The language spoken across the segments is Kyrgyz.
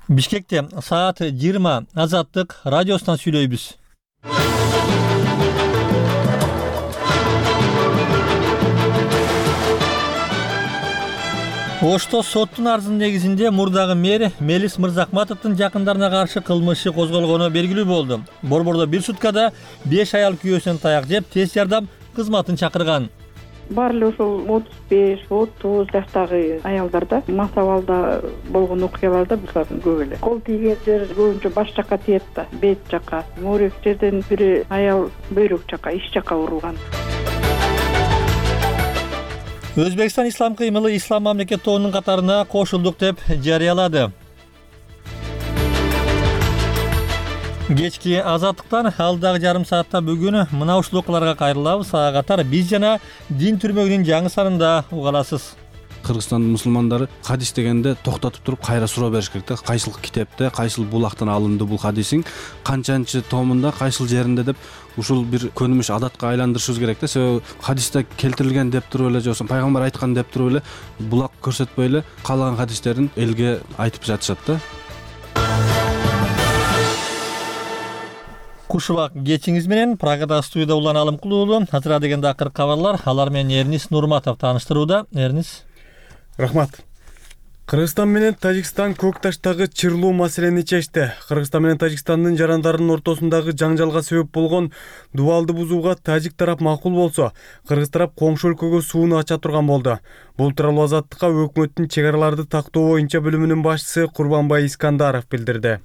Бишкекте саат 20 Азаттык радиосунан сүйлөйбүз. Ошто соттун арызынын негизинде мурдагы мэр Мелис Мырзахматовдун жакындарына каршы кылмыш иши козголгону белгилүү болду. Борбордо бир суткада 5 аял күйөөсүнөн таяк жеп тез жардам кызматын чакырган. Баары ошол 35-30 жаштагы аялдарда мас абалда болгон окуяларда булар көп эле. Кол тийген жер көбүнчө баш жака тиет да, бет жака. Моорек жерден бири аял бөйрөк жака, ич жака урулган. Өзбекстан ислам кыймылы ислам мамлекет тобунун катарына кошулдук деп жарыялады. Кечки Азаттыктан алдагы жарым саатта бүгүн мына ушул окуяларга кайрылабыз. Ага катар биз жана дин түрмөгүнүн жаңы санында уга аласыз. Кыргызстандын мусулмандары хадис дегенде токтотуп туруп кайра суроо бериш керек да. Кайсыл китепте, кайсыл булактан алынды бул хадисиң, канчанчы томунда, кайсыл жеринде деп ушул бир көнүмүш адатка айландырышыбыз керек да. Себеби хадисте келтирилген деп туруп эле же болбосо пайгамбар айткан деп туруп эле булак көрсөтпөй эле каалаган хадистерин элге айтып жатышат да. Кушубак кечиңиз менен Прагада студияда Улан Алымкулуулу. Азыр дегенде акыркы кабарлар. Алар менен Эрнис Нурматов тааныштырууда. Эрнис. Рахмат. Кыргызстан менен Тажикстан көк таштагы чырлуу маселени чечти. Кыргызстан менен Тажикстандын жарандарынын ортосундагы жаңжалга себеп болгон дубалды бузууга тажик тарап макул болсо, кыргыз тарап коңшу өлкөгө сууну ача турган болду. Бул тууралуу Азаттыкка өкмөттүн чек араларды тактоо боюнча бөлүмүнүн башчысы Курбанбай Искандаров билдирди.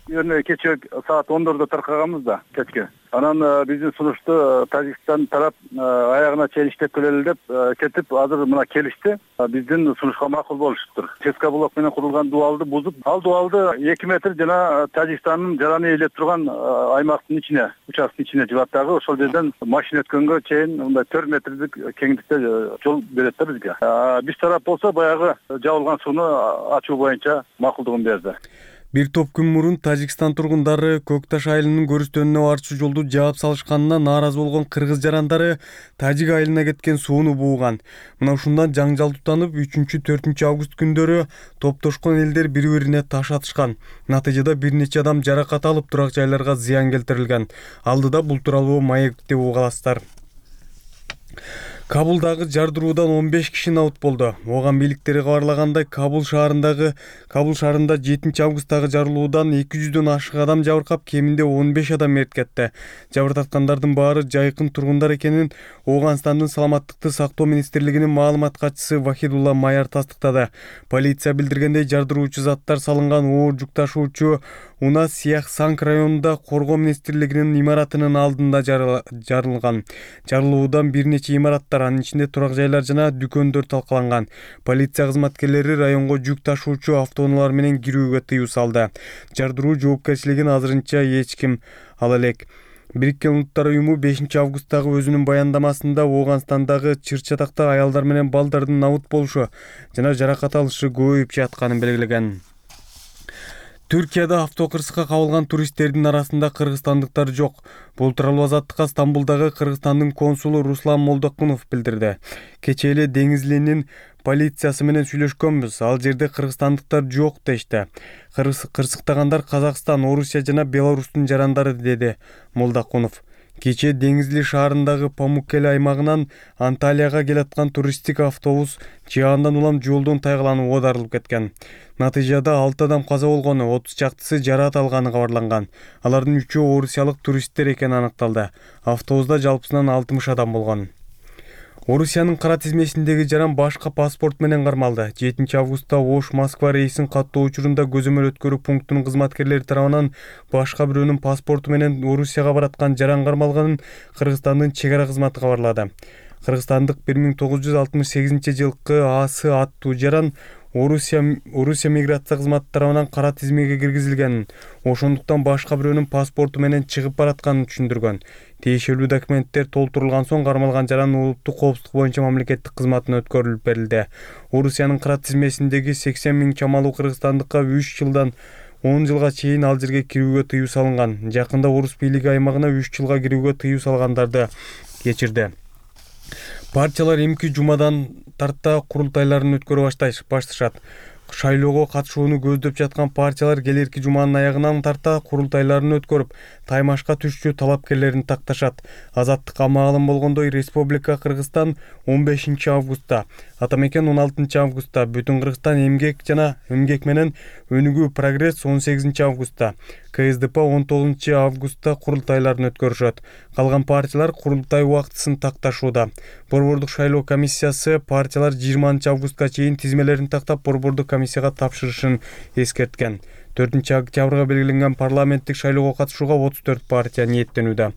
Кече саат 10:00 таркаганбыз да кечке. Анан биздин сунушту Тажикстан тарап аягына чейин иштеп келели деп кетип, азыр мына келишти. Биздин сунушка макул болушуптур. ЧСК блок менен курулган дубалды бузуп, ал дубалды 2 метр жана Тажикстандын жараны ээлеп турган аймактын ичине, участканын ичине жибат дагы. Ошол жерден машина өткөнгө чейин мындай 4 метрлик кеңдикте жол берет да бизге. Биз тарап болсо баягы жабылган сууну ачуу боюнча макулдугун берди. Бир топ күн мурун Тажикстан тургундары Көк Таш айылынын көрүстөнүнө барчу жолду жаап салышканына нааразы болгон кыргыз жарандары Тажик айылына кеткен сууну бууган. Мына ушундан жаңжал тутанып 3-4 август күндөрү топтошкон элдер бири-бирине таш атышкан. Натыйжада бир нече адам жаракат алып турак жайларга зыян келтирилген. Алдыда бул тууралуу маек деп угаласыздар. Кабулдагы жардыруудан 15 киши наут болду. Оган бийликтери кабарлагандай, Кабул шаарында 7 августтагы жарылуудан 200дөн ашык адам жабыркап, кеминде 15 адам мерт кетти. Жабыр тарткандардын баары жайкын тургундар экенин Ооганстандын саламаттыкты сактоо министрлигинин маалымат катчысы Вахидулла Майар тастыктады. Полиция билдиргендей, жардыруучу заттар салынган оор жүк ташуучу Уна Сиях Санк районунда коргоо министрлигинин имаратынын алдында жарылган. Жарылуудан бир нече имараттар, анын ичинде турак жайлар жана дүкөндөр талкаланган. Полиция кызматкерлери районго жүк ташуучу автоунаалар менен кирүүгө тыюу салды. Жардыруу жоопкерчилигин азырынча эч ким ала элек. Бириккен Улуттар уюму 5 августтагы өзүнүн баяндамасында Ооганстандагы чыр-чатакта аялдар менен балдардын наут болушу жана жаракат алышы көбөйүп жатканын белгилеген. Түркияда автокырсыкка кабылган туристтердин арасында кыргызстандыктар жок. Бул тууралуу Азаттыкка Стамбулдагы Кыргызстандын консулу Руслан Молдокунов билдирди. Кечээ эле Деңизлинин полициясы менен сүйлөшкөнбүз. Ал жерде кыргызстандыктар жок дешти. Кырсыктагандар Казакстан, Орусия жана Беларустун жарандары, деди Молдокунов. Кечээ Деңизли шаарындагы Памуккеле аймагынан Анталияга келаткан туристтик автобус жаандан улам жолдон тайгаланып оодарылып кеткен. Натыйжада 6 адам каза болгону, 30 чактысы жараат алганы кабарланган. Алардын 3-өө орусиялык туристтер экени аныкталды. Автобуста жалпысынан 60 адам болгон. Орусиянын кара тизмесиндеги жаран башка паспорт менен кармалды. 7 августта Ош-Москва рейсин каттоо учурунда көзөмөл өткөрүү пунктунун кызматкерлери тарабынан башка бирөөнүн паспорту менен Орусияга бараткан жаран кармалганын Кыргызстандын чек ара кызматы кабарлады. Кыргызстандык 1968-жылкы АС аттуу жаран Орусия миграция кызматы тарабынан кара тизмеге киргизилгенин, ошондуктан башка бирөөнүн паспорту менен чыгып баратканын түшүндүргөн. Тиешелүү документтер толтурулган соң кармалган жаран улуттук коопсуздук боюнча мамлекеттик кызматына өткөрүлүп берилди. Орусиянын кара тизмесиндеги 80 000 чамалуу кыргызстандыкка 3 жылдан 10 жылга чейин ал жерге кирүүгө тыюу салынган. Жакында орус бийлиги аймагына 3 жылга кирүүгө тыюу салгандарды кечирди. Партиялар эмки жумадан тарта курултайларын өткөрө башташат. шайлоого катышууну көздөп жаткан партиялар келерки жуманын аягынан тарта курултайларын өткөрүп, таймашка түшчү талапкерлерин такташат. Азаттыкка маалым болгондой, Республика Кыргызстан 15 августта, Атамекен 16 августта, Бүтүн Кыргызстан эмгек жана эмгек менен өнүгүү прогресс 18 августта, КСДП 19 августта курултайларын өткөрүшөт. Калган партиялар курултай убактысын такташууда. Борбордук шайлоо комиссиясы партиялар 20 августка чейин тизмелерин тактап борбордук комиссияга тапшырышын эскерткен. 4 октябрга белгиленген парламенттик шайлоого катышууга 34 партия ниеттенүүдө.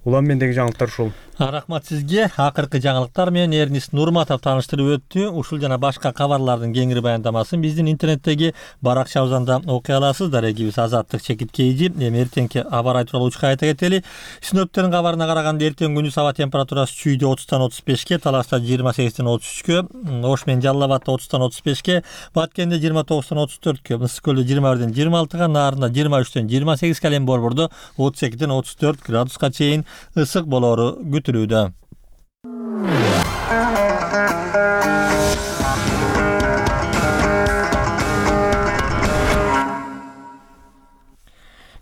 Улам мендеги жаңылыктар ушул. Рахмат сизге. Акыркы жаңылыктар менен Эрнист Нурматов тааныштырып өттү. Ушул жана башка кабарлардын кеңири баяндамасын биздин интернеттеги баракчабыздан окуй аласыздар. Эгибиз Азаттык Чекиткейди. Эми эртеңки аба ырайы тууралуу учка айта кетели. Синоптиктердин кабарына караганда эртең күндүз аба температурасы Чүйдө 30-35ке, Таласта 28-33кө, Ош менен Жалал Абадта 30-35ке, Баткенде 29-34кө, Ысык көлдө 21-26га, Нарында 23-28 калем Борбордо 32-34 градуска чейин ысык болору күтүлүүдө.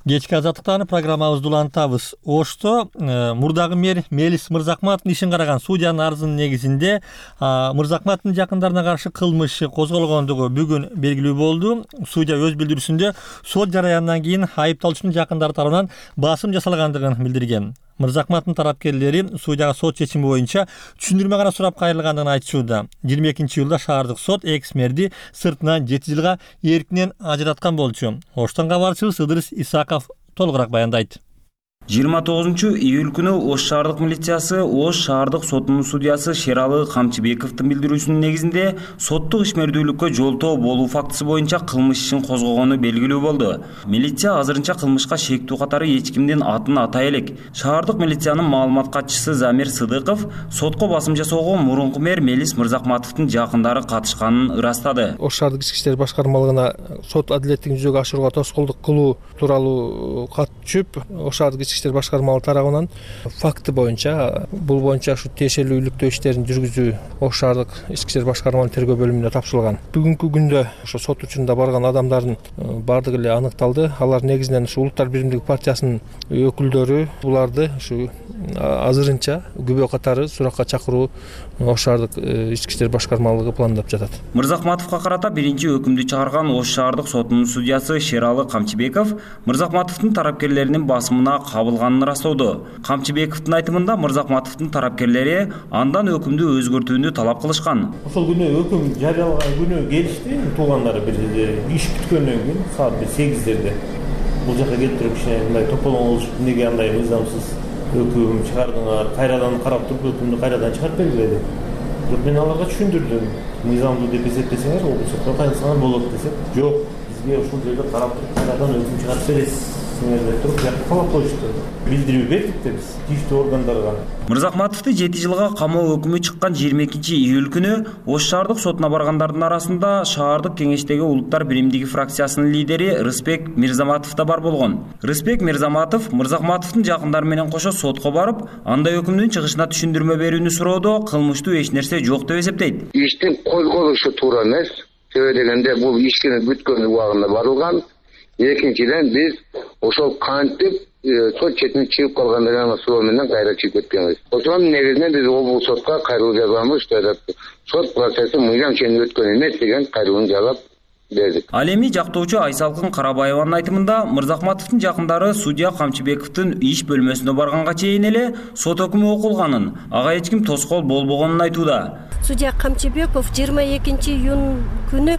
Кечки азаттыктан программабызды улантабыз. Ошто мурдагы мэр Мелис Мырзакматовдун ишин караган судьянын арызынын негизинде Мырзакматовдун жакындарына каршы кылмышы козголгондугу бүгүн белгилүү болду. Судья өз билдирүүсүндө сот жараянынан кийин айыпталуучунун жакындары тарабынан басым жасалгандыгын билдирген. Мырзакматовдун тарапкерлери судьяга сот чечими боюнча түшүндүрмө гана сурап кайрылгандыгын айтышууда. 22-июлда шаардык сот экс-мэрди сыртынан 7 жылга эркинен ажыраткан болчу. Оштон кабарчыбыз Ыдырыс Исаков толугураак баяндайт. 29 июль Ош шаардык милициясы Ош шаардык сотунун судьясы Шералы Камчыбековдун билдирүүсүнүн негизинде соттук ишмердүүлүккө жолтоо болуу фактысы боюнча кылмыш ишин козгогону белгилүү болду. Милиция азырынча кылмышка шектүү катары эч кимдин атын атай элек. Шаардык милициянын маалымат катчысы Замир Сыдыков сотко басым жасоого мурунку мэр Мелис Мырзакматовдун жакындары катышканын ырастады. Ош шаардык ички иштер башкармалыгына сот адилеттигин жүзөгө ашырууга тоскоолдук кылуу тууралуу кат түшүп, Ош шаардык ички иштер башкармалыгы тарабынан факты боюнча бул боюнча ушу тиешелүү иликтөө иштерин жүргүзүү Ош шаардык ички иштер башкармалыгынын тергөө бөлүмүнө тапшырылган. Бүгүнкү күндө ошо сот учурунда барган адамдардын бардыгы эле аныкталды. Алар негизинен ушу Улуттар биримдиги партиясынын өкүлдөрү. Буларды ушу азырынча күбө катары суракка чакыруу Ош шаардык ички иштер башкармалыгы пландап жатат. Мырзакматовго карата биринчи өкүмдү чыгарган Ош шаардык сотунун судьясы Шералы Камчыбеков Мырзакматовдун тарапкерлеринин басымына кабылганын ырастоодо. Камчыбековдун айтымында Мырзакматовдун тарапкерлери андан өкүмдү өзгөртүүнү талап кылышкан. Ошол күнү өкүм жарыялаган күнү келишти, туугандары бир иш бүткөндөн кийин саат 8-дерде бул жака келип туруп кичине мындай тополоң болушуп, эмнеге андай мыйзамсыз өкүм чыгардыңар, кайрадан карап туруп өкүмдү кайрадан чыгарып бергиле деп. Бирок мен аларга түшүндүрдүм. Мыйзамдуу деп эсептесеңер, облустукка кайрылсаңар болот десек, жок, бизге ушул жерде карап туруп кайрадан өкүм чыгарып бересиз деп туруп талап коюшту. Билдирүү бердик да биз тийиштүү органдарга. Мырзакматовду 7 жылга камоо өкүмү чыккан 22 июль күнү Ош шаардык сотуна баргандардын арасында шаардык кеңештеги Улуттар биримдиги фракциясынын лидери Рыспек Мирзаматов да бар болгон. Рыспек Мирзаматов Мырзакматовдун жакындары менен кошо сотко барып, андай өкүмдүн чыгышына түшүндүрмө берүүнү суроодо кылмыштуу эч нерсе жок деп эсептейт. Иштин козголушу туура эмес. Себеби дегенде бул ишкини бүткөн убагында барылган. Экинчиден биз ошол кантип сот четине чыгып калгандыгын суроо менен кайра чыгып кеткенбиз. Ошонун негизинде биз облус сотко кайрылуу жазганбыз. Сот процесси мыйзам ченинде өткөн эмес деген кайрылууну жазап бердик. Ал эми жактоочу Айсалкын Карабаеванын айтымында Мырзакматовдун жакындары судья Камчыбековдун иш бөлмөсүнө барганга чейин эле сот өкүмү окулганын, ага эч ким тоскоол болбогонун айтууда. Судья Камчыбеков 22 июнь күнү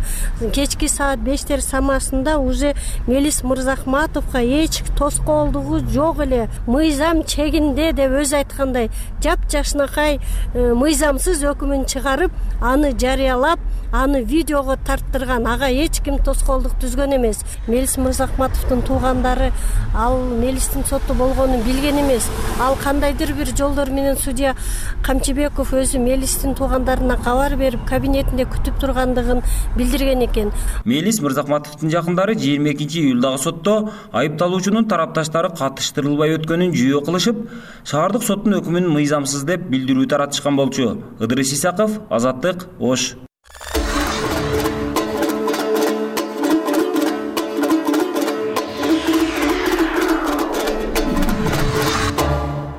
кечки саат 5 самасында уже Мелис Мырзакматовго эч тоскоолдугу жок эле, мыйзам чегинде деп өзү айткандай, жапжашынакай мыйзамсыз өкүмүн чыгарып, аны жарыялап, аны видеого тарттырган. Ага эч ким тоскоолдук түзгөн эмес. Мелис Мырзакматовдун туугандары ал Мелистин сотто болгонун билген эмес. Ал кандайдыр бир жолдор менен судья Камчыбеков өзү Мелистин туугандарына кабар берип, кабинетинде күтүп тургандыгын билдирген экен. Мелис Мырзакматовдун жакындары 22 июлдагы сотто айыпталуучунун тарапташтары катыштырылбай өткөнүн жүйө кылышып, шаардык соттун өкүмүн мыйзамсыз деп билдирүү таратышкан болчу. Ыдырыс Исаков, Азаттык, Ош.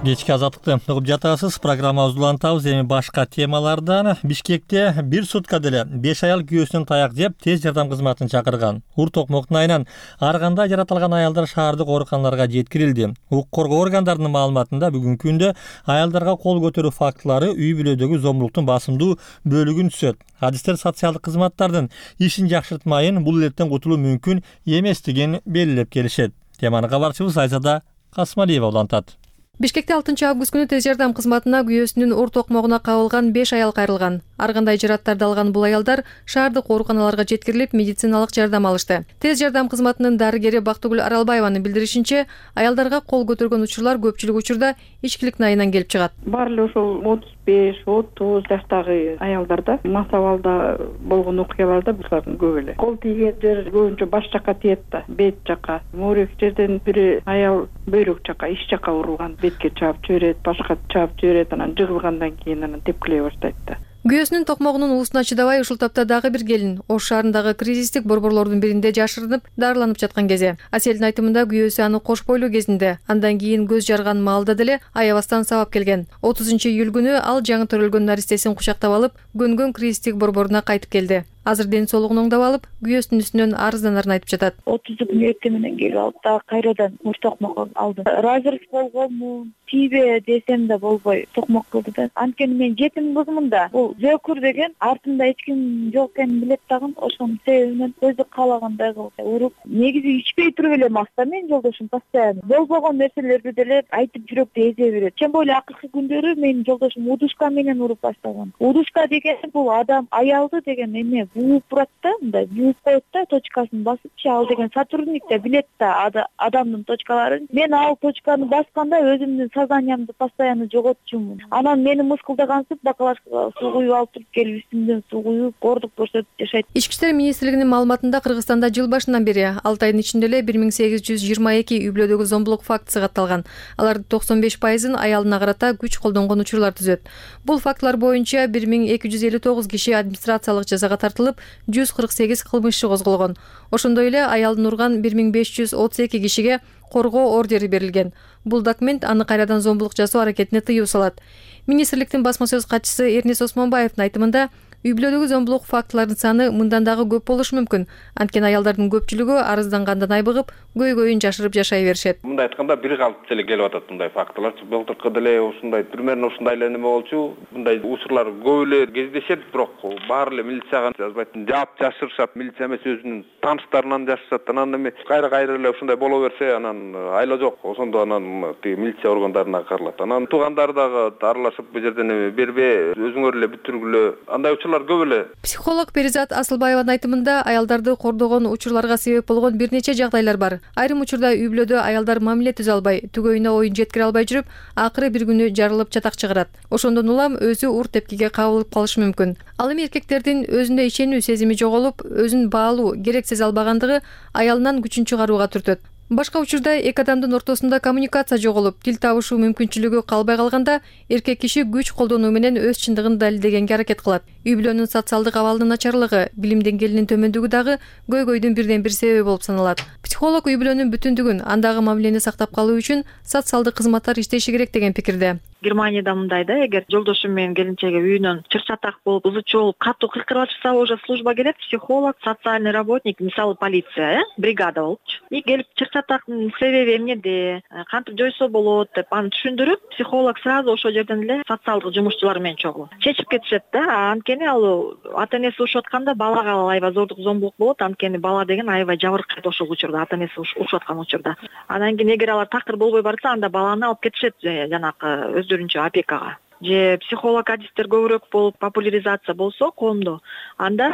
Кечки азаттыкты угуп жатасыз. Программабызды улантабыз. Эми башка темалардан. Бишкекте бир сутка деле 5 аял күйөөсүнөн таяк жеп тез жардам кызматын чакырган. Ур токмоктун айынан ар кандай жаратылган аялдар шаардык ооруканаларга жеткирилди. Укук коргоо органдарынын маалыматында бүгүнкү күндө аялдарга кол көтөрүү фактылары үй бүлөдөгү зомбулуктун басымдуу бөлүгүн түзөт. Адистер социалдык кызматтардын ишин жакшыртмайын, бул илеттен кутулуу мүмкүн эместигин белгилеп келишет. Теманы кабарчыбыз Айзада Касмалиева улантат. Бишкекте 6 август күнү тез жардам кызматына күйөөсүнүн ур токмогуна кабылган 5 аял кайрылган. Ар кандай жараттарды алган бул аялдар шаардык ооруканаларга жеткирилип, медициналык жардам алышты. Тез жардам кызматынын дарыгери Бактыгүл Аралбаеванын билдиришинче, аялдарга кол көтөргөн учурлар көпчүлүк учурда ичкиликтин айынан келип чыгат. Баары эле ошол 35-30 жаштагы аялдарда мас абалда болгон окуяларда булардын көп эле. Кол тийген жер көбүнчө баш жака тиет да, бет жака. Моорек жерден бири аял бөйрөк жака, ич жака урулган. Бетке чаап жиберет, башка чаап жиберет, анан жыгылгандан кийин анан тепкилей баштайт да. Күйөөсүнүн токмогунун уусуна чыдабай ушул тапта дагы бир келин Ош шаарындагы кризистик борборлордун биринде жашырынып, дарыланып жаткан кези. Аселдин айтымында күйөөсү аны кош бойлуу кезинде, андан кийин көз жарган маалда деле аябастан сабап келген. 30-июль күнү ал жаңы төрөлгөн наристесин кучактап алып, көнгөн кризистик борборуна кайтып келди. Азыр ден соолугун оңдоп алып, күйөөсүнүн үстүнөн арызданарын айтып жатат. 30 күн эртең келип алып, дагы кайрадан ур токмок алдым. Разрыв болгонмун, тийбе десем да болбой токмок кылды да. Анткени мен жетим кызмын да. Бул зөкүр деген артымда эч ким жок экенин билет дагы, ошонун себебинен өзү каалагандай кылып уруп. Негизи ичпей туруп эле маста мен жолдошум постоянно. Болбогон нерселерди деле айтып жүрөктү эзе берет. Тем более акыркы күндөрү менин жолдошум удушка менен уруп баштаган. Удушка деген бул адам аялды деген эме бууп турат да, мындай бууп коет да, точкасын басыпчы, ал деген сотрудник да билет да адамдын точкаларын. Мен ал точканы басканда өзүмдүн сознаниямды постоянно жоготчумун. Анан мени мыскылдагансып, бакалашкага суу куюп алып туруп келип үстүмдөн суу куюп, кордук көрсөтүп жашайт. Ички иштер министрлигинин маалыматында Кыргызстанда жыл башынан бери 6 айдын ичинде эле 1822 үй бүлөдөгү зомбулук фактысы катталган. Алардын 95%-ын аялына карата күч колдонгон учурлар түзөт. Бул фактылар боюнча 1259 киши администрациялык жазага тартылып, 148 кылмыш иши козголгон. Ошондой эле аялын урган 1532 кишиге коргоо ордери берилген. Бул документ аны кайрадан зомбулук жасоо аракетине тыюу салат. Министрликтин басма сөз катчысы Эрнис Осмонбаевдин айтымында, үй бүлөдөгү зомбулук фактыларынын саны мындан дагы көп болушу мүмкүн. Анткени аялдардын көпчүлүгү арыздангандан айбыгып, көйгөйүн жашырып жашай беришет. Мындай айтканда бир калып эле келип атат мындай фактылар. Былтыркы деле ушундай примерно ушундай эле неме болчу. Мындай учурлар көп эле кездешет, бирок баары эле милицияга жазбайт. Жаап жашырышат, милиция эмес өзүнүн тааныштарынан жашырышат. Анан эми кайра эле ушундай боло берсе, анан айла жок. Ошондо анан милиция органдарына кагылат. Анан туугандар дагы аралашып бул жерден эми бербе, өзүңөр эле бүтүргүлө. Андай учурлар көп эле. Психолог Перизат Асылбаеванын айтымында, аялдарды кордогон учурларга себеп болгон бир нече жагдайлар бар. Айрым учурда үй бүлөдө аялдар мамиле түзө албай, түгөйүнө оюн жеткире албай жүрүп, акыры бир күнү жарылып чатак чыгарат. Ошондон улам өзү ур тепкиге кабылып калышы мүмкүн. Ал эми эркектердин өзүнө ишенүү сезими жоголуп, өзүн баалуу, керек сезе албагандыгы аялынан күчүн чыгарууга түртөт. Башка учурда эки адамдын ортосунда коммуникация жоголуп, тил табышуу мүмкүнчүлүгү калбай калганда, эркек киши күч колдонуу менен өз чындыгын далилдегенге аракет кылат. Үй бүлөнүн социалдык абалынын начарлыгы, билим деңгээлинин төмөндүгү дагы көйгөйдүн бирден бир себеби болуп саналат. Психолог үй бүлөнүн бүтүндүгүн, андагы мамилени сактап калуу үчүн социалдык кызматтар иштеши керек деген пикирде. Германияда мындай да, эгер жолдошум менен келинчеги үйүнөн чыр-чатак болуп, ызычуу болуп, катуу кыйкырып атышса, уже служба келет, психолог, социальный работник, мисалы полиция, бригада болупчу. И келип чыр-чатактын себеби эмнеде, кантип жойсо болот деп аны түшүндүрүп, психолог сразу ошол жерден эле социалдык жумушчулар менен чогуу чечип кетишет да. Анткени ал ата-энеси урушуп атканда балага аябай зордук зомбулук болот. Анткени бала деген аябай жабыркайт ошол учурда, ата-энеси урушуп аткан учурда. Анан кийин эгер алар такыр болбой барса, анда баланы алып кетишет жанакы өздөрүнчө опекага. Же психолог адистер көбүрөөк болуп, популяризация болсо коомдо, анда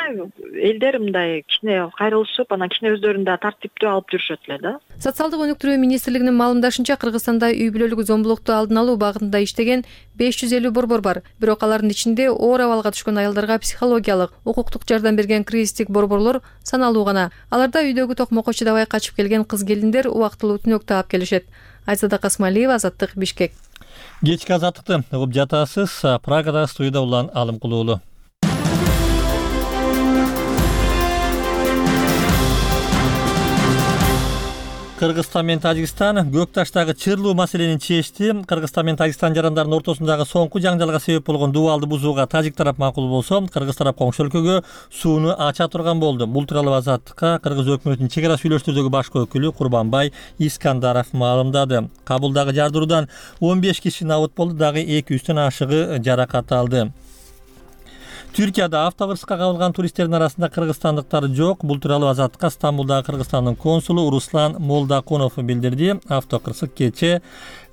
элдер мындай кичине кайрылышып, анан кичине өздөрүн да тартиптүү алып жүрүшөт эле да. Социалдык өнүктүрүү министрлигинин маалымдашынча, Кыргызстанда үй бүлөлүк зомбулукту алдын алуу багытында иштеген 550 борбор бар. Бирок алардын ичинде оор абалга түшкөн аялдарга психологиялык, укуктук жардам берген кризистик борборлор саналуу гана. Аларда үйдөгү токмокко чыдабай качып келген кыз-келиндер убактылуу түнөк таап келишет. Айзада Касмалиева, Азаттык, Бишкек. Кечки азаттыкты угуп жатасыз. Прагада студияда Улан Алымкулуулу. Кыргызстан менен Тажикстан көк таштагы чырлуу маселени чечти. Кыргызстан менен Тажикстан жарандарынын ортосундагы соңку жаңжалга себеп болгон дубалды бузууга тажик тарап макул болсо, кыргыз тарап коңшу өлкөгө сууну ача турган болду. Бул тууралуу Азаттыкка кыргыз өкмөтүнүн чек ара сүйлөштөрдөгү башкы өкүлү Курбанбай Искандаров маалымдады. Кабулдагы жардыруудан 15 киши набыт болду, дагы 200дөн ашыгы жаракат алды. Түркияда автокырсыкка кабылган туристтердин арасында кыргызстандыктар жок. Бул тууралуу Азаттыкка Стамбулдагы Кыргызстандын консулу Руслан Молдакунов билдирди. Автокырсык кечээ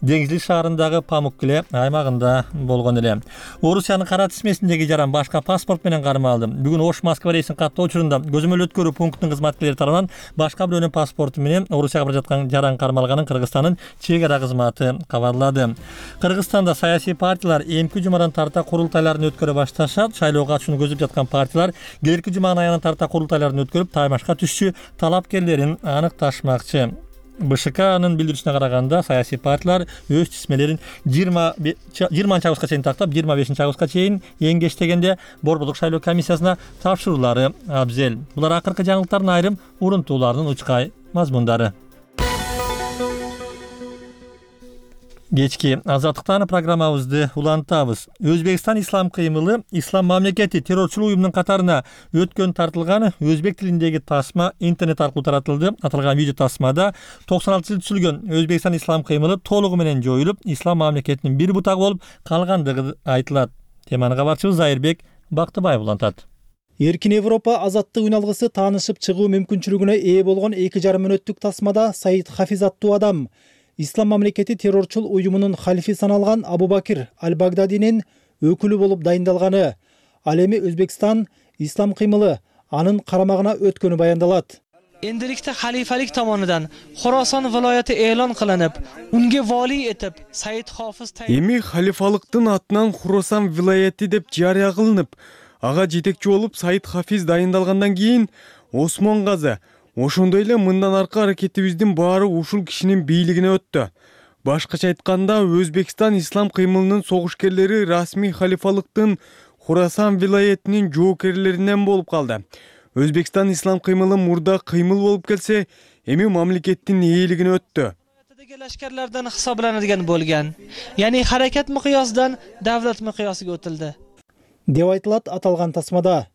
Деңизли шаарындагы Памуккеле аймагында болгон эле. Орусиянын кара тизмесиндеги жаран башка паспорт менен кармалды. Бүгүн Ош Москва рейсин каттоо учурунда көзөмөл өткөрүү пунктунун кызматкерлери тарабынан башка бирөөнүн паспорту менен Орусияга бара жаткан жаран кармалганын Кыргызстандын чек ара кызматы кабарлады. Кыргызстанда саясий партиялар эмки жумадан тарта курултайларын өткөрө башташат. Шайлоого катышууну көздөп жаткан партиялар келерки жуманын аягына тарта курултайларын өткөрүп, таймашка түшчү талапкерлерин аныкташмакчы. БШКнын билдирүүсүнө караганда, саясий партиялар өз тизмелерин 20 августка чейин тактап, 25 августка чейин эң кеч дегенде Борбордук шайлоо комиссиясына тапшыруулары абзел. Булар акыркы жаңылыктардын айрым урунтууларынын учкай мазмундары. Кечки Азаттыктан программабызды улантабыз. Өзбекстан ислам кыймылы ислам мамлекети террорчулук уюмунун катарына өткөн тартылган өзбек тилиндеги тасма интернет аркылуу таратылды. Аталган видео тасмада 96-жылы түзүлгөн Өзбекстан ислам кыймылы толугу менен жоюлуп, ислам мамлекетинин бир бутагы болуп калгандыгы айтылат. Теманы кабарчыбыз Айырбек Бактыбаев улантат. Эркин Европа азаттык үналгысы таанышып чыгуу мүмкүнчүлүгүнө ээ болгон 2,5 мүнөттүк тасмада Саид Хафиз аттуу адам Ислам мамлекети террорчул уюмунун халифи саналган Абу-Бакир Аль-Багдадинин өкүлү болуп дайындалганы, ал эми Өзбекстан ислам кыймылы анын карамагына өткөнү баяндалат. Endilikda xalifalik tomonidan Xorason viloyati e'lon qilinib, unga vali etib Said Hofiz эми халифалыктын атынан Хурасан вилаяти деп жарыя кылынып, ага жетекчи болуп Саид Хафиз дайындалгандан кийин Осмон Газы, ошондой эле мындан аркы аракетибиздин баары ушул кишинин бийлигине өттү. Башкача айтканда, Өзбекстан ислам кыймылынын согушкерлери расмий халифалыктын Хурасан вилаятынын жоокерлеринен болуп калды. Өзбекстан ислам кыймылы мурда кыймыл болуп келсе, эми мамлекеттин ээлигине өттү. lashkarlardan hisoblanadigan bo'lgan. Ya'ni harakat miqyosidan davlat miqyosiga o'tildi. Деп айтылат аталган тасмада.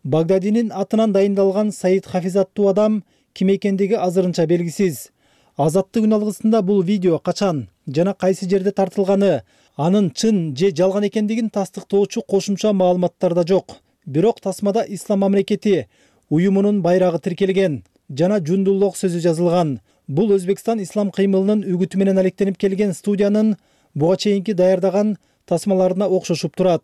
Багдадинин атынан дайындалган Саид Хафиз аттуу адам ким экендиги азырынча белгисиз. Азаттык үналгысында бул видео качан жана кайсы жерде тартылганы, анын чын же жалган экендигин тастыктоочу кошумча маалыматтар да жок. Бирок тасмада ислам мамлекети уюмунун байрагы тиркелген жана Жундуллук сөзү жазылган. Бул Өзбекстан ислам кыймылынын үгүтү менен алектенип келген студиянын буга чейинки даярдаган тасмаларына окшошуп турат.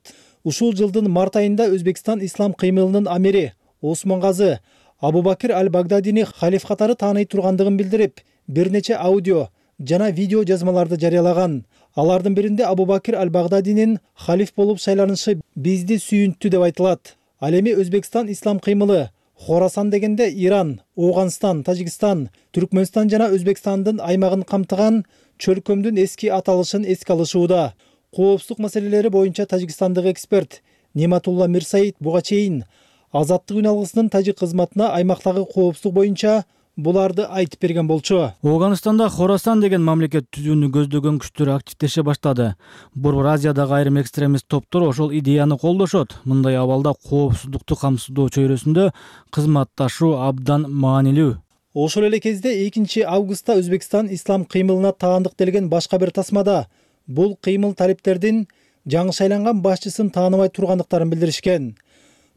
Ушул жылдын март айында Өзбекстан ислам кыймылынын амири Осмон Газы Абу-Бакир Аль-Багдадини халиф катары тааный тургандыгын билдирип, бир нече аудио жана видео жазмаларды жарыялаган. Алардын биринде Абу-Бакир Аль-Багдадинин халиф болуп шайланышы бизди сүйүнттү деп айтылат. Ал эми Өзбекстан ислам кыймылы Хорасан дегенде Иран, Оғанстан, Тажикстан, Түркмөнстан жана Өзбекстандын аймагын камтыган чөлкөмдүн эски аталышын эске алышууда. Коопсуздук маселелери боюнча тажикстандык эксперт Нематулла Мирсаид буга чейин азаттык үналгысынын тажик кызматына аймактагы коопсуздук боюнча буларды айтып берген болчу. Оғанстанда Хорасан деген мамлекет түзүүнү көздөгөн күчтөр активдеше баштады. Борбор Азиядагы айрым экстремист топтор ошол идеяны колдошот. Мындай абалда коопсуздукту камсыздоо чөйрөсүндө кызматташуу абдан маанилүү. Ошол эле кезде 2 августта Өзбекстан ислам кыймылына таандык делген башка бир тасмада бул кыймыл талиптердин жаңы шайланган башчысын тааныбай тургандыктарын билдиришкен.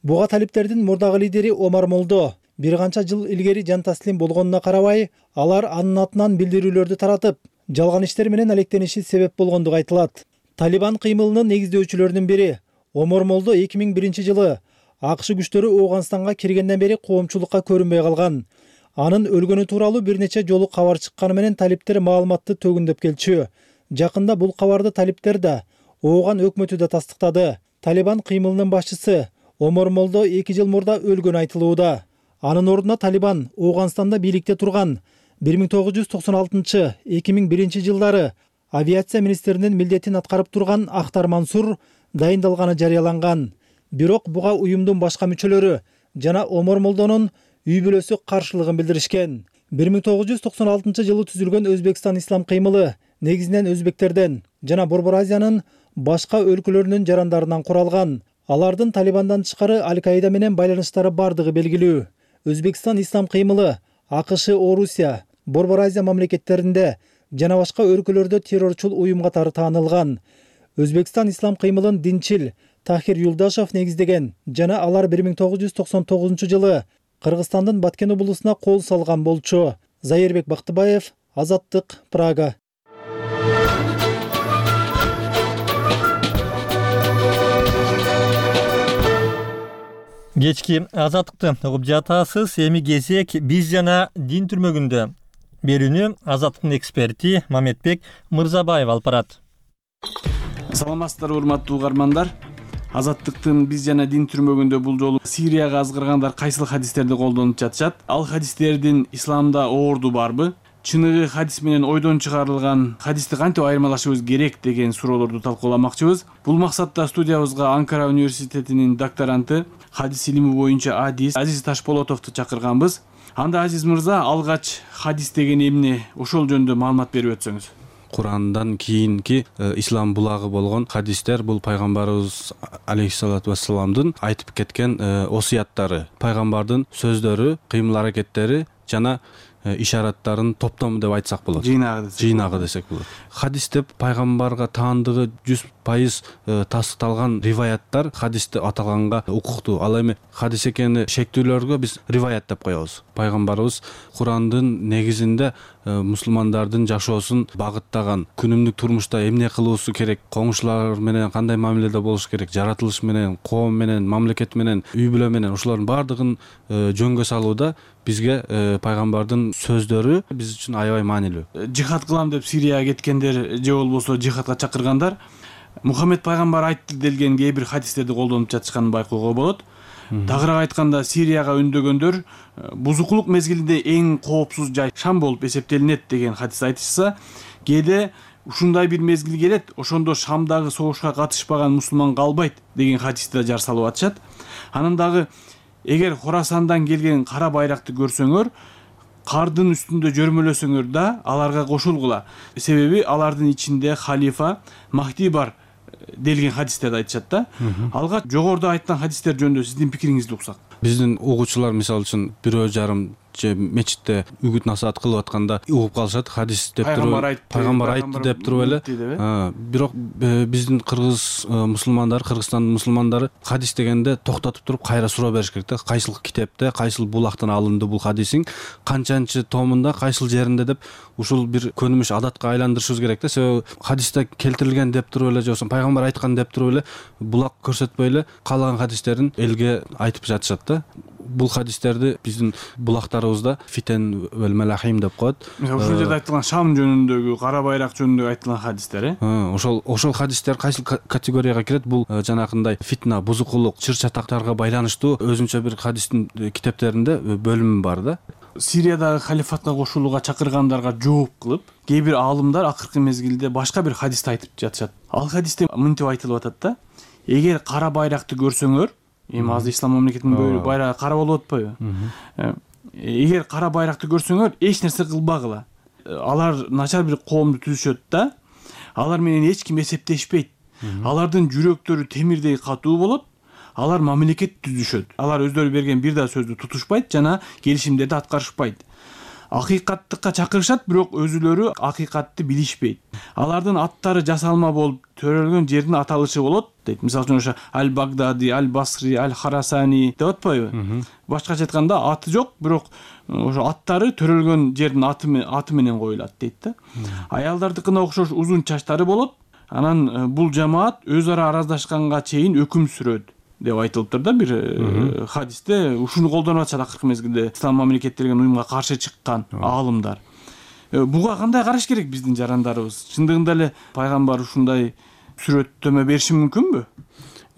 Буга талиптердин мурдагы лидери Омар Молдо бир канча жыл илгери жан таслим болгонуна карабай, алар анын атынан билдирүүлөрдү таратып, жалган иштер менен алектениши себеп болгондугу айтылат. Талибан кыймылынын негиздөөчүлөрүнүн бири Омар Молдо 2001 жылы АКШ күчтөрү Оғанстанга киргенден бери коомчулукка көрүнбөй калган. Анын өлгөнү тууралуу бир нече жолу кабар чыкканы менен талиптер маалыматты төгүндөп келчү. Жакында бул кабарды талиптер да, Ооган өкмөтү да тастыктады. Талибан кыймылынын башчысы Омар Молдо 2 жыл мурда өлгөнү айтылууда. Анын ордуна Талибан Оғанстанда бийликте турган 1996-2001 жылдары авиация министринин милдетин аткарып турган Ахтар Мансур дайындалганы жарыяланган. Бирок буга уюмдун башка мүчөлөрү жана Омар Молдонун үй бүлөсү каршылыгын билдиришкен. 1996-жылы түзүлгөн Өзбекстан ислам кыймылы негизинен өзбектерден жана Борбор Азиянын башка өлкөлөрүнүн жарандарынан куралган. Алардын Талибандан тышкары Аль-Каида менен байланыштары бардыгы белгилүү. Өзбекстан ислам кыймылы АКШ, Орусия, Борбор Азия мамлекеттеринде жана башка өлкөлөрдө террорчул уюм катары таанылган. Өзбекстан ислам кыймылын динчил Тахир Юлдашев негиздеген жана алар 1999-жылы Кыргызстандын Баткен облусуна кол салган болчу. Зайырбек Бактыбаев, Азаттык, Прага. Кечки Азаттыкты угуп жатасыз. Эми кезек биз жана дин түрмөгүндө. Берүүнү Азаттыктын эксперти Мамедбек Мырзабаев алып барат. Саламатсыздарбы, урматтуу угармандар. Азаттыктын биз жана дин түрмөгүндө бул жолу Сирияга азгыргандар кайсыл хадистерди колдонуп жатышат? Ал хадистердин исламда оорду барбы? Чыныгы хадис менен ойдон чыгарылган хадисти кантип айырмалашыбыз керек деген суроолорду талкууламакчыбыз. Бул максатта студиябызга Анкара университетинин докторанты, хадис илими боюнча адис Азиз Ташполотовду чакырганбыз. Анда Азиз мырза, алгач хадис деген эмне, ошол жөнүндө маалымат берип өтсөңүз. Курандан кийинки ислам булагы болгон хадистер бул пайгамбарыбыз алейхиссалату вассаламдын айтып кеткен осуяттары, пайгамбардын сөздөрү, кыймыл аракеттери жана ишараттарын топтому деп айтсак болот. Жыйнагы десек болот. Хадис деп пайгамбарга таандыгы 100% тастыкталган риваяттар хадисте аталганга укуктуу. Ал эми хадис экени шектүүлөргө биз риваят деп коебуз. Пайгамбарыбыз Курандын негизинде мусулмандардын жашоосун багыттаган, күнүмдүк турмушта эмне кылуусу керек, коңшулар менен кандай мамиледе болуш керек, жаратылыш менен, коом менен, мамлекет менен, үй бүлө менен ошолордун баардыгын жөнгө салууда бизге пайгамбардын сөздөрү биз үчүн аябай маанилүү. Жихад кылам деп Сирияга кеткендер же болбосо жихадка чакыргандар Мухаммед пайгамбар айтты делген кээ бир хадистерди колдонуп жатышканын байкоого болот. Тагыраак айтканда, Сирияга үндөгөндөр бузукулук мезгилинде эң коопсуз жай Шам болуп эсептелинет деген хадис айтышса, кээде ушундай бир мезгил келет, ошондо Шамдагы согушка катышпаган мусулман калбайт деген хадисти да жар салып атышат. Анан дагы эгер Хорасандан келген кара байракты көрсөңөр, кардын үстүндө жөрмөлөсөңөр да аларга кошулгула. Себеби алардын ичинде халифа Махди бар делген хадистерди айтышат да. Алга жогоруда айткан хадистер жөнүндө сиздин пикириңизди уксак. Биздин угуучулар мисалы үчүн бирөө жарым же мечитте үгүт насаат кылып атканда угуп калышат, хадис деп туруп пайгамбар айтты деп туруп эле. Бирок биздин кыргыз мусулмандары, Кыргызстандын мусулмандары хадис дегенде токтотуп туруп кайра суроо бериш керек да. Кайсыл китепте, кайсыл булактан алынды бул хадисиң, канчанчы томунда, кайсыл жеринде деп ушул бир көнүмүш адатка айландырышыбыз керек да. Себеби хадисте келтирилген деп туруп эле же болбосо пайгамбар айткан деп туруп эле булак көрсөтпөй эле каалаган хадистерин элге айтып жатышат да. Бул хадистерди биздин булактарыбызда фитен вел малахим деп коет. Ушул жерде айтылган Шам жөнүндөгү, кара байрак жөнүндөгү айтылган хадистер, ошол хадистер кайсыл категорияга кирет? Бул жанакындай фитна, бузукулук, чыр чатактарга байланыштуу өзүнчө бир хадистин китептеринде бөлүмү бар да. Сириядагы халифатка кошулууга чакыргандарга жооп кылып, кээ бир аалымдар акыркы мезгилде башка бир хадисти айтып жатышат. Ал хадисте мынтип айтылып атат да: эгер кара байракты көрсөңөр, эми азыр ислам мамлекетинин байрагы кара болуп атпайбы? Эгер кара байракты көрсөңөр, эч нерсе кылбагыла. Алар начар бир коомду түзүшөт да. Алар менен эч ким эсептешпейт. Алардын жүрөктөрү темирдей катуу болот. Алар мамлекет түзүшөт. Алар өздөрү берген бир да сөздү тутушпайт жана келишимдерди аткарышпайт. Акыйкаттыкка чакырышат, бирок өзүлөрү акыйкатты билишпейт. Алардын аттары жасалма болуп төрөлгөн жердин аталышы болот дейт. Мисалы үчүн ошо Аль-Багдади, Аль-Басри, Аль-Харасани деп атпайбы? Башкача айтканда аты жок, бирок ошо аттары төрөлгөн жердин аты менен коюлат дейт да. Аялдардыкына окшош узун чачтары болот. Анан бул жамаат өз ара араздашканга чейин өкүм сүрөт деп айтылыптыр да бир хадисте. Ушуну колдонуп атышат акыркы мезгилде ислам мамлекет деген уюмга каршы чыккан аалымдар. Буга кандай караш керек биздин жарандарыбыз? Чындыгында эле пайгамбар ушундай сүрөттөмө бериши мүмкүнбү?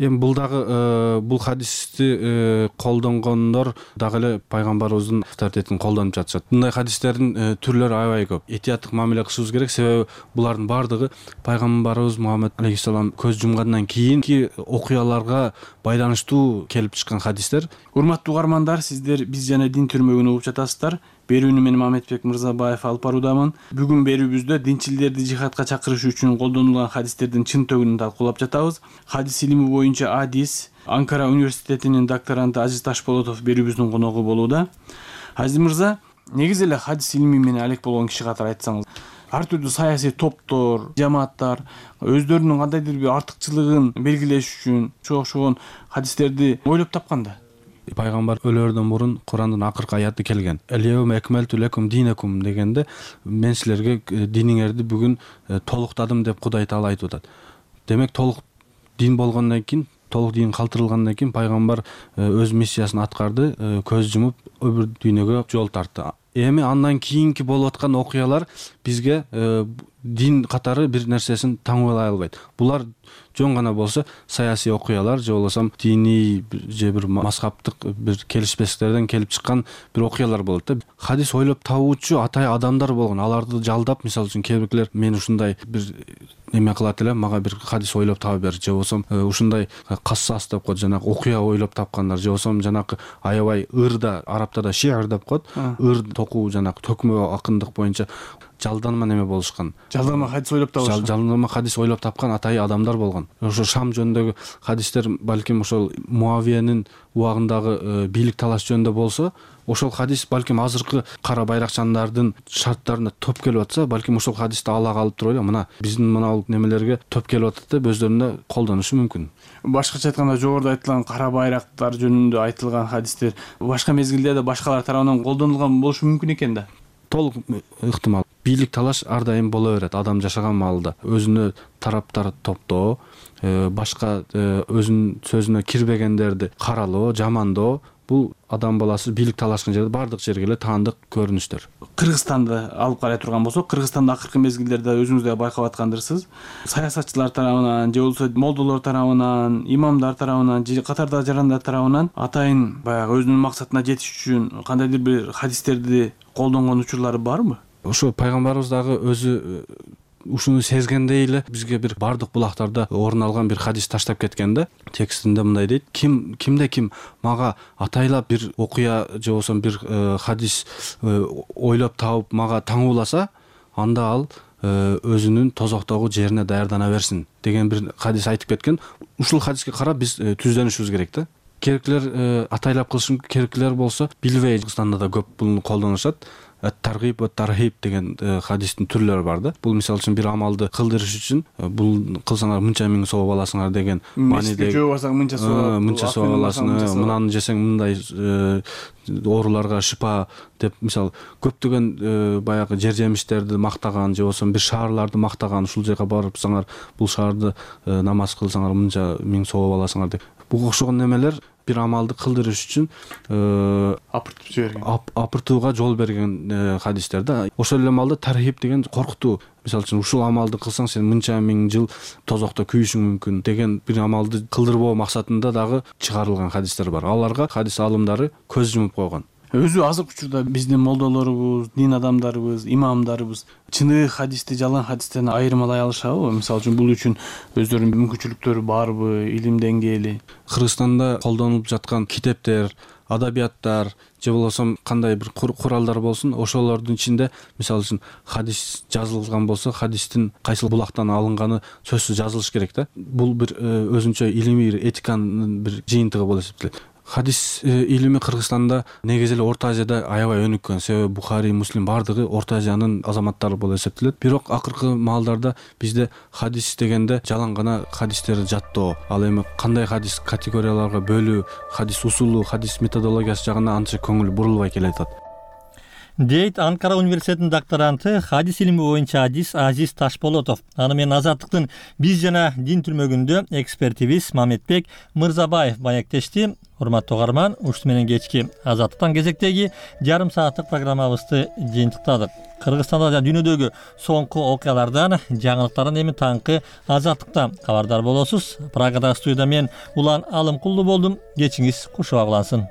Эми бул дагы бул хадисти колдонгондор дагы эле пайгамбарыбыздын авторитетин колдонуп жатышат. Мындай хадистердин түрлөрү аябай көп. Этияттык мамиле кылышыбыз керек, себеби булардын баардыгы пайгамбарыбыз Мухаммед алейхиссалам көз жумгандан кийинки окуяларга байланыштуу келип чыккан хадистер. Урматтуу угармандар, сиздер биз жана дин түрмөгүн угуп жатасыздар. берүүнү мен Мамедбек Мырзабаев алып баруудамын. Бүгүн берүүбүздө динчилерди жихадка чакырыш үчүн колдонулган хадистердин чын төгүнүн талкуулап жатабыз. Хадис илими боюнча Адис Анкара университетинин докторанты Азиз Ташполотов берүүбүздүн коногу болууда. Азиз мырза, негизи эле хадис илими менен алек болгон киши катары айтсаңыз, ар түрдүү саясий топтор, жамааттар өздөрүнүн кандайдыр бир артыкчылыгын белгилеш үчүн окшогон хадистерди ойлоп тапканда. Пайгамбар өлөрдөн мурун Курандын акыркы аяты келген. Элиевме экмелту лекум динекум дегенде мен силерге диниңерди бүгүн толуктадым деп Кудай Таала айтып атат. Демек толук дин болгондон кийин, толук дин калтырылгандан кийин пайгамбар өз миссиясын аткарды, көз жумуп өбүр дүйнөгө жол тартты. Эми андан кийинки болуп аткан окуялар бизге дин катары бир нерсесин таңуулай албайт. Булар жөн гана болсо саясий окуялар же болбосо диний же бир мазхабтык бир келишпестиктерден келип чыккан бир окуялар болот да. Хадис ойлоп табуучу атай адамдар болгон. Аларды жалдап, мисалы үчүн кээ бирлер мен ушундай бир эме кылат элем, мага бир хадис ойлоп таба бер, же болбосо ушундай кассас деп коет, жанагы окуя ойлоп тапкандар, же болбосо жанагы аябай ырда, арабтарда шиар деп коет, ыр токуу жанагы төкмө акындык боюнча жалданма неме болушкан. Жалданма хадис ойлоп табышкан. Жалданма хадис ойлоп тапкан атай адамдар болгон. Ошо Шам жөнүндөгү хадистер балким ошол Муавиянын убагындагы бийлик талаш жөнүндө болсо, ошол хадис балким азыркы кара байракчандардын шарттарына топ келип атса, балким ошол хадисти ала калып туруп эле мына биздин мына немелерге топ келип атат деп өздөрүнө колдонушу мүмкүн. Башкача айтканда, жогоруда айтылган кара байрактар жөнүндө айтылган хадистер башка мезгилде да башкалар тарабынан колдонулган болушу мүмкүн экен да. Толук ыктымал. Бийлик талаш ар дайым боло берет адам жашаган маалда. Өзүнө тараптар топтоо, башка өзүнүн сөзүнө кирбегендерди каралоо, жамандоо, бул адам баласы бийлик талашкан жерде бардык жерге эле таандык көрүнүштөр. Кыргызстанды алып карай турган болсок, Кыргызстанда акыркы мезгилдерде өзүңүз да байкап аткандырсыз. Саясатчылар тарабынан, же болбосо молдолор тарабынан, имамдар тарабынан, же катарда жарандар тарабынан атайын баягы өзүнүн максатына жетиш үчүн кандайдыр бир хадистерди колдонгон учурлары барбы? Ошо пайгамбарыбыз дагы өзү ушуну сезгендей эле бизге бир бардык булактарда орун алган бир хадис таштап кеткен да. Текстинде мындай дейт: кимде ким мага атайлап бир окуя же болбосо бир хадис ойлоп табып мага таңууласа, анда ал өзүнүн тозоктогу жерине даярдана берсин деген бир хадис айтып кеткен. Ушул хадиске карап биз түздөнүшүбүз керек да. Керектилер атайлап кылышы керектилер болсо билбей Кыргызстанда да көп буну колдонушат. Таргиб ва тархиб деген хадистин түрлөрү бар да. Бул мисалы үчүн бир амалды кылдырыш үчүн бул кылсаңар мынча миң сооп аласыңар деген мааниде. Жөө басаң мынча сооп аласың, мынаны жесең мындай ооруларга шипа деп мисалы көптөгөн баягы жер жемиштерди мактаган же болбосо бир шаарларды мактаган, ушул жака барыпсаңар бул шаарды намаз кылсаңар мынча миң сооп аласыңар деп. Буга окшогон немелер бир амалды кылдырыш үчүн апыртууга жол берген хадистер да. Ошол эле маалда тархиб деген коркутуу. Мисалы үчүн ушул амалды кылсаң сен мынча миң жыл тозокто күйүшүң мүмкүн деген бир амалды кылдырбоо максатында дагы чыгарылган хадистер бар. Аларга хадис аалымдары көз жумуп койгон. Өзү азыркы учурда биздин молдолорубуз, дин адамдарыбыз, имамдарыбыз чыныгы хадисти жалган хадистен айырмалай алышабы? Мисалы үчүн бул үчүн өздөрүнүн мүмкүнчүлүктөрү барбы, илим деңгээли? Кыргызстанда колдонулуп жаткан китептер, адабияттар же болбосо кандай бир куралдар болсун, ошолордун ичинде мисалы үчүн хадис жазылган болсо, хадистин кайсыл булактан алынганы сөзсүз жазылыш керек да. Бул бир өзүнчө илимий этиканын бир жыйынтыгы болуп эсептелет. Хадис илими Кыргызстанда негизи эле Орто Азияда аябай өнүккөн. Себеби Бухари, Муслим бардыгы Орто Азиянын азаматтары болуп эсептелет. Бирок акыркы маалдарда бизде хадис дегенде жалаң гана хадистерди жаттоо, ал эми кандай хадис категорияларга бөлүү, хадис усулу, хадис методологиясы жагына анча көңүл бурулбай келатат. Дейт Анкара университетинин докторанты, хадис илими боюнча Азиз Ташполотов. Аны менен Азаттыктын биз жана дин түрмөгүндө экспертибиз Мамедбек Мырзабаев маектешти. Урматтуу угарман, ушул менен кечки Азаттыктан кезектеги жарым сааттык программабызды жыйынтыктадык. Кыргызстанда жана дүйнөдөгү соңку окуялардан, жаңылыктардан эми таңкы Азаттыкта кабардар болосуз. Прагадагы студияда мен Улан Алымкулду болдум. Кечиңиз куш баглансын.